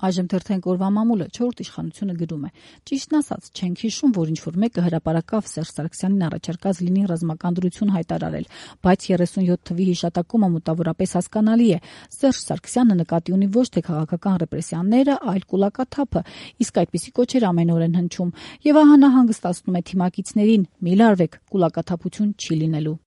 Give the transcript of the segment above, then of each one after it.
Այժմ թերթենք օրվա մամուլը 4-րդ իշխանությունը գրում է. ճիշտն ասած, չենք հիշում, որ ինչ-որ մեկը հրապարակավ Սերժ Սարգսյանին առաջարկած լինի ռազմական դրություն հայտարարել, բայց 37 թվի հիշատակումը մոտավորապես հասկանալի է։ Սերժ Սարգսյանը նկատի ունի ոչ թե քաղաքական ռեպրեսիաները, այլ կուլակաթափը, իսկ այդպիսի կոչեր ամեն օր են հնչում։ Եվ ահա նա հանգստացնում է թիմակիցներին՝ մի լարվեք, կուլակաթափություն չի լինելու։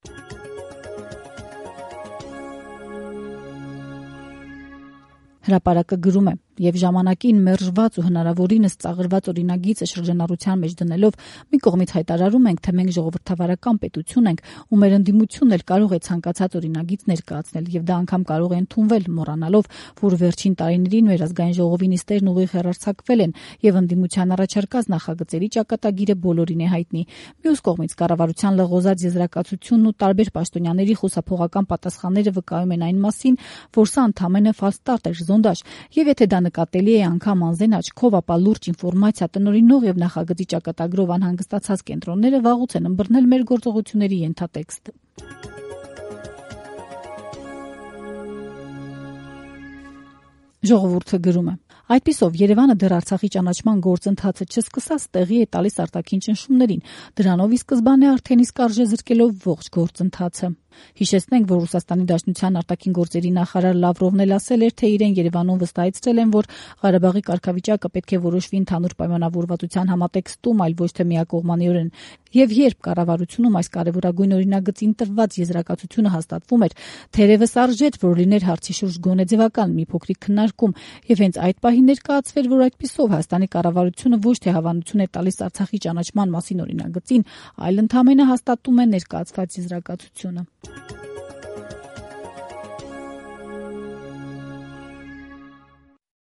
Հրապարակը գրում է. Եվ ժամանակին մերժված ու հնարավորինս ծաղրված օրինագիծը շրջանառության մեջ դնելով մի կողմից հայտարարում ենք, թե մենք ժողովրդավարական պետություն ենք ու մեր ընդդիմությունն էլ կարող է ցանկացած օրինագիծ ներկայացնել եւ դա անգամ կարող է ընդունվել, մոռանալով, որ վերջին տարիներին մեր ազգային ժողովի նիստերն ուղիղ հեռարձակվել են եւ ընդդիմության առաջարկած նախագծերի ճակատագիրը բոլորին է հայտնի։ Մյուս կողմից կառավարության լղոզած եզրակացությունն ու տարբեր պաշտոնյաների խուսափողական պատասխանները վկայում են այն մասին, որ սա ընդամենը ֆալստարտ էր, զոնդաժ, եւ եթե դա նկատելի է անգամ անզեն աչքով, ապա լուրջ ինֆորմացիա տնօրինող եւ նախագծի ճակատագրով անհանգստացած կենտրոնները վաղուց են ըմբռնել մեր գործողությունների ենթատեքստը։ Ժողովուրդը գրում է. Այդպիսով Երևանը դեռ Արցախի ճանաչման գործընթացը չսկսած տեղի է տալիս արտաքին ճնշումներին, դրանով ի սկզբանե արդեն իսկ արժե զրկելով ողջ գործընթացը։ Հիշեցնենք, որ Ռուսաստանի Դաշնության արտաքին գործերի նախարար Լավրովն էլ ասել էր, թե իրեն Երևանում վստահեցրել են, որ Ղարաբաղի կարգավիճակը պետք է որոշվի ընդհանուր պայմանավորվածության համատեքստում, այլ ոչ թե միակողմանիորեն։ Եվ երբ կառավարությունում այս կարևորագույն օրինագծին տրված եզրակացությունը հաստատվում էր, թերևս արժեր, որ լիներ հարցի շուրջ գոնե ձևական մի փոքրիկ քննարկում, եւ հենց այդ պահին ներկայացվեր, որ այդպիսով Հայաստանի կառավարությունը ոչ թե հավանություն է տալիս Արցախի ճանաչման մասին օրինագծին, այլ ընդամենը հաստատում է ներկայացված եզրակացությունը։